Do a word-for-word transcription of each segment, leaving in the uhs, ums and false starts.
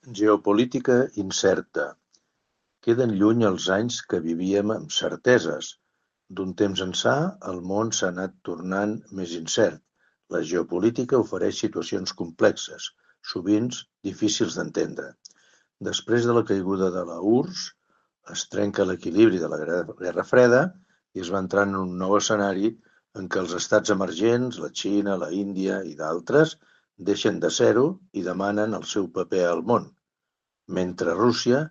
Geopolítica incerta. Queden lluny els anys que vivíem amb certeses. D'un temps ençà, el món s'ha anat tornant més incert. La geopolítica ofereix situacions complexes, sovint difícils d'entendre. Després de la caiguda de la U R S S, es trenca l'equilibri de la Guerra Freda i es va entrar en un nou escenari en què els estats emergents, la Xina, la Índia i d'altres, deixen de ser-ho i demanen el seu paper al món, mentre Rússia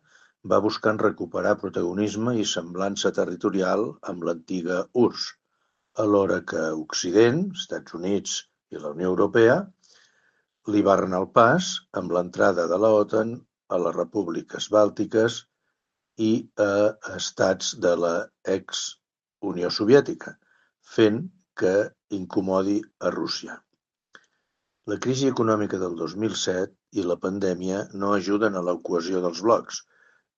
va buscant recuperar protagonisme i semblança territorial amb l'antiga U R S S, alhora que Occident, Estats Units i la Unió Europea, li barren el pas amb l'entrada de la OTAN a les repúbliques bàltiques i a estats de la ex-Unió Soviètica, fent que incomodi a Rússia. La crisi econòmica del dos mil set i la pandèmia no ajuden a la cohesió dels blocs,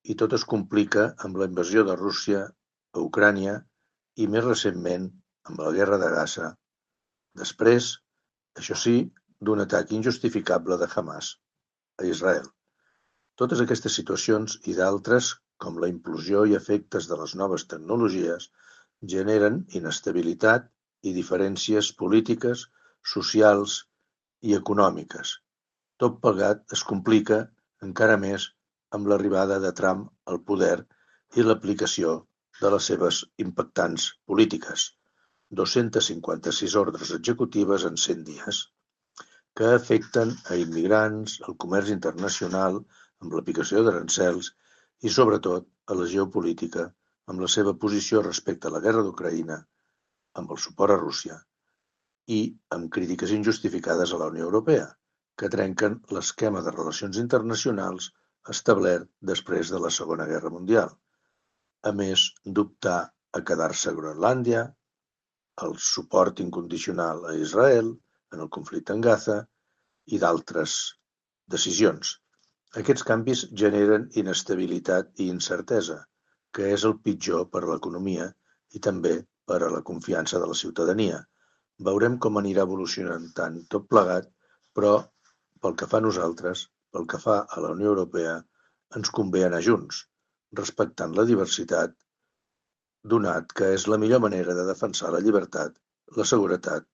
i tot es complica amb la invasió de Rússia a Ucrània i, més recentment, amb la guerra de Gaza. Després, això sí, d'un atac injustificable de Hamas a Israel. Totes aquestes situacions i d'altres, com la implosió i efectes de les noves tecnologies, generen inestabilitat i diferències polítiques, socials i econòmiques. Tot plegat es complica encara més amb l'arribada de Trump al poder i l'aplicació de les seves impactants polítiques, dos-centes cinquanta-sis ordres executives en cent dies, que afecten a immigrants, al comerç internacional, amb l'aplicació d'arancels i, sobretot, a la geopolítica, amb la seva posició respecte a la guerra d'Ucraïna, amb el suport a Rússia i amb crítiques injustificades a la Unió Europea, que trenquen l'esquema de relacions internacionals establert després de la Segona Guerra Mundial, a més d'optar a quedar-se a Groenlàndia, el suport incondicional a Israel en el conflicte en Gaza i d'altres decisions. Aquests canvis generen inestabilitat i incertesa, que és el pitjor per a l'economia i també per a la confiança de la ciutadania. Veurem com anirà evolucionant tant tot plegat, però pel que fa a nosaltres, pel que fa a la Unió Europea, ens convé anar junts, respectant la diversitat, donat que és la millor manera de defensar la llibertat, la seguretat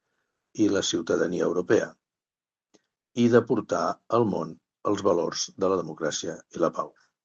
i la ciutadania europea, i de portar al món els valors de la democràcia i la pau.